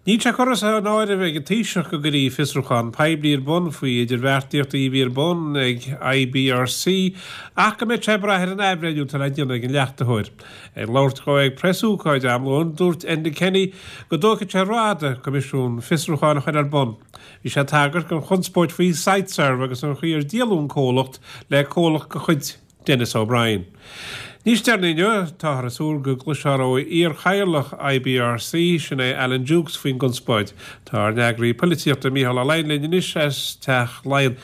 Níl sé curtha san áireamh ag an Taoiseach go gcuirfí fiosrúchán poiblí ar bun faoi idirbheartaíochtaí a bhí ar bun ag IBRC ach go mbeidh sé ag brath ar an athbhreithniú atá le déanamh ag an leachtaitheoir. Ag labhairt dhó ag preasócáid am lóin, dúirt Enda Kenny go dtógfaidh sé rófhada coimisiún fiosrúcháin a chur ar bun. Bhí sé ag tagairt don chonspóid faoi Siteserv agus an chaoi ar díoladh an comhlacht le comhlacht de chuid Denis O'Brien. Níos deireanaí inniu, táthar ag súil go gcloisfear ó iar-chathaoirleach IBRC, sin é Alan Dukes, faoin gconspóid. Tá ár n-eagraí poilitíochta Mícheál Ó Laighin linn anois as Teach Laighean.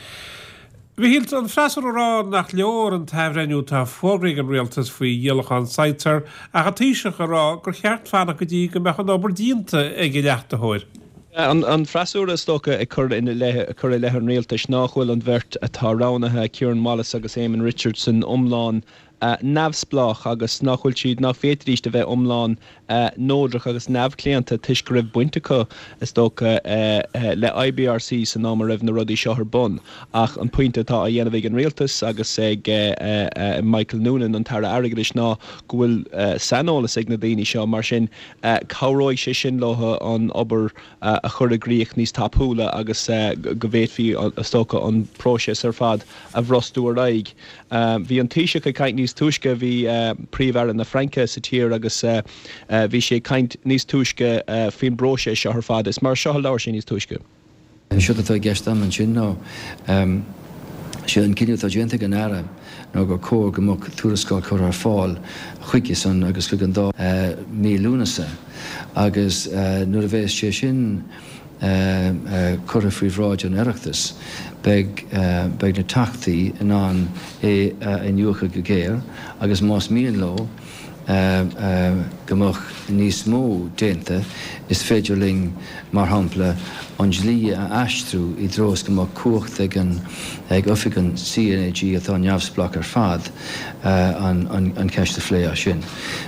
A Mhichíl, tá an freasúra ag rá nach leor an t-athbhreithniú atá fógraithe ag an rialtas faoi dhíolachán Siteserv ach an Taoiseach ag rá gur cheart fanacht go dtí go mbeadh an obair déanta ag an leachtaitheoir. An freasúra is dócha ag cur ina leith, ag cur i leith an rialtais nách bhfuil an bheirt atá roghnaithe, Kieran Wallace agus Eamon Richardson, iomlán neamhspleách agus nach bhfuil siad, nach bhféadfaidís a bheith iomlán neodrach agus neamhchlaonta toisc go raibh baint acu, is dócha, le IBRC san am a raibh na rudaí seo ar bun. Ach an pointe atá á dhéanamh ag an rialtas agus ag Michael Noonan, an tAire Airgeadais, ná go bhfuil saineolas ag na daoine seo, mar sin Cabhróidh sé sin leo an obair a chur i gcrích níos tapúla agus go bhféadfaí, is dócha, an próiseas ar fad a bhrostú ar aghaidh. Bhí an Taoiseach ag caint níos túisce, bhí Príomh-Aire na Fraince sa tír agus bhí sé ag caint níos túisce faoin bpróiseas seo ar fad. Is mar seo a labhair sé níos túisce. Séard atá i gceist agam ansin ná, sé an cinneadh atá déanta ag an Aire ná gur cóir go mbeadh tuarascáil curtha ar fáil chuige san agus chuig an Dáil mí Lúnasa agus nuair a bheas sé sin curtha faoi bhráid an Oireachtais beidh beidh na Teachtaí in ann é a iniúchadh go géar agus más mian leo go mbeadh níos mó déanta, is féidir linn, mar shampla, an dlí a aistriú i dtreo is go mbeadh cumhacht ag an ag oifig an CNAG, atá neamhspleách ar fad, an cheist a phlé as sin.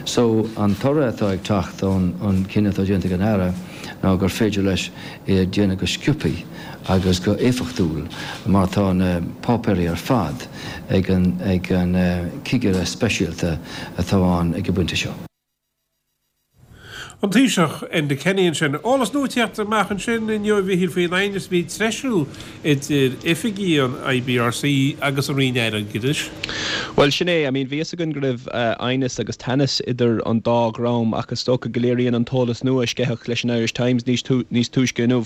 So, an toradh atá ag teacht ón chinneadh atá déanta ag an Aire ná gur féidir leis é a dhéanamh go sciobthaí agus go éifeachtúil mar tá na páipéirí ar fad ag an ag an cigire speisialta atá ann ag an bpointe seo. An Taoiseach, Enda Kenny ansin. Eolas nua ag tíocht amach ansin inniu a Mhichíl faoin aighneas a bhí ag treisiú idir oifigigh an IBRC agus an Roinn Airgeadais. Bhuel, sin é. I mean, bhí fhios againn go raibh aighneas agus teannas idir an dá dhream ach is dócha go léiríonn an t-eolas nua a sceitheadh leis an Irish Times níos túisce inniu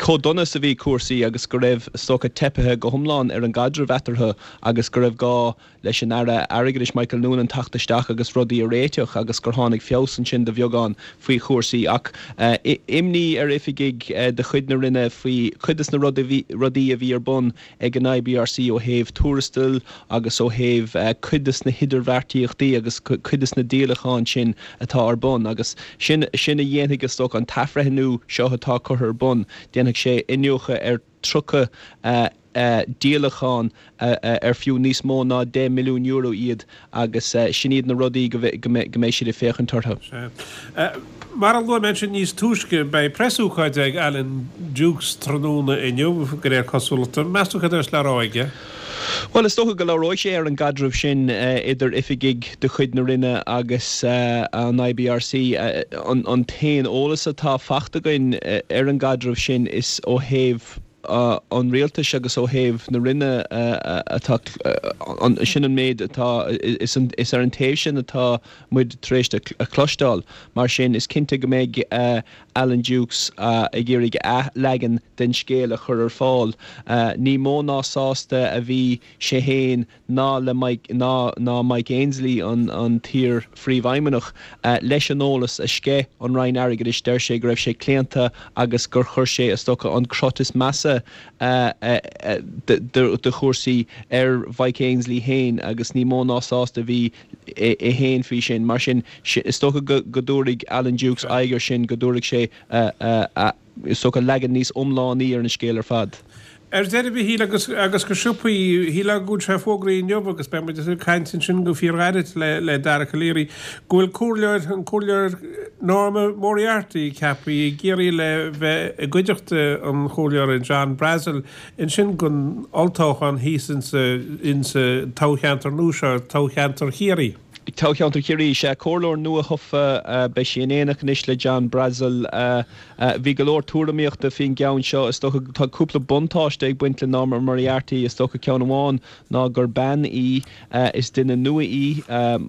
chomh dona is a bhí cúrsaí agus go raibh, is dócha, teipithe go hiomlán ar an gcaidreamh eatarthu agus go raibh gá leis an Aire Airgeadais Michael Noonan teacht isteach agus rudaí a réiteach agus gur tháinig feabhas ansin de bheagán faoi chúrsaí. Ach imní ar oifigigh de chuid na Roinne faoi chuid de na rudaí a bhí ar bun ag an IBRC ó thaobh tuarastail agus ó thaobh cuid de na hidirbheartaíochtaí agus cuid de na díolacháin sin atá ar bun agus sin sin a dhéanfaidh is dócha an t-athbhreithniú seo atá curtha ar bun, déanfaidh sé iniúchadh ar 30 díolachán ar fiú níos mó ná €10 milliún iad agus sin iad na rudaí go mbeidh siad ag féachaint orthu. Sea. Mar a luaigh mé ansin níos túisce, beidh preasócáid ag Alan Dukes tráthnóna inniu, de réir cosúlachta. Meas tú céard a bheas le rá aige? Bhuel, is dócha go labhróidh sé ar an gcaidreamh sin idir oifigigh de chuid na Roinne agus an IBRC. An t-aon eolas atá faighte againn ar an gcaidreamh sin is ó thaobh an rialtais agus ó thaobh na Roinne atá, sin an méid atá, is ar an taobh sin atá muid tar éis a chloisteáil. Mar sin, is cinnte go mbeidh Alan Dukes ag iarraidh a leagan den scéal a chur ar fáil. Ní mó ná sásta a bhí sé féin ná le Mike ná ná Mike Ainsley, an t-iar-phríomhfheidhmeannach, leis an eolas a sceith an Roinn Airgeadais. Deir sé go raibh sé claonta agus gur chuir sé, is dócha, an crot is measa de chúrsaí ar Mhike Ainsley féin agus ní mó ná sásta a bhí é féin faoi sin. Mar sin, is dócha go dtabharfaidh Alan Dukes aghaidh air sin, go dtabharfaidh sé, is dócha, leagan níos iomlánaí ar an scéal ar fad. Ar deireadh, a Mhichíl, agus agus go sciobthaí, shílfeá go bhfuil sé fógraithe inniu agus beidh muid ag caint ansin go fíorghairid le le Dara Calleary, go bhfuil comhairleoir, an comhairleoir Norma Moriarty ceaptha i gCiarraí le bheith i gcuideachta an chomhairleora John Brassil ansin don olltoghchán thíos insa insa toghcheantar nua seo, toghcheantar Chiarraí. Toghcheantar Chiarraí, sea, comhairleoir nua-thofa, beidh sí in éineacht anois le John Brassil. Bhí go leor tuairimíochta faoin gceann seo. Is dócha tá cúpla buntáiste ag baint le Norma Moriarty. Is dócha ceann amháin ná gur bean í, is duine nua í,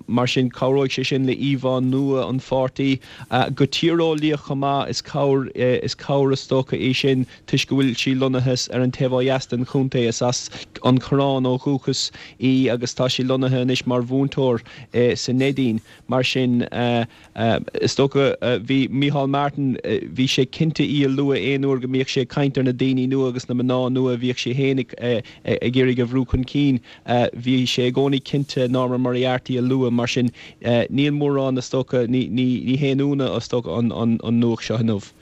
mar sin cabhróidh sé sin le íomhá nua an pháirtí. Go tíreolaíoch chomh maith, is cabhair, is cabhair is dócha í sin toisc go bhfuil sí lonnaithe ar an taobh ó dheas den chontae. Is as an Choireán ó dhúchas í agus tá sí lonnaithe anois mar mhúinteoir sa Neidín. Mar sin, is dócha, bhí Micheál Martin, bhí sé cinnte í a lua aon uair go mbíodh sé ag caint ar na daoine nua agus na mná nua a bhíodh sé féin ag iarraidh a bhrú chun cinn. Bhí sé i gcónaí cinnte Norma Moriarty a lua. Mar sin, níl mórán, is dócha, ní haon ionadh, is dócha, an nuacht seo inniu.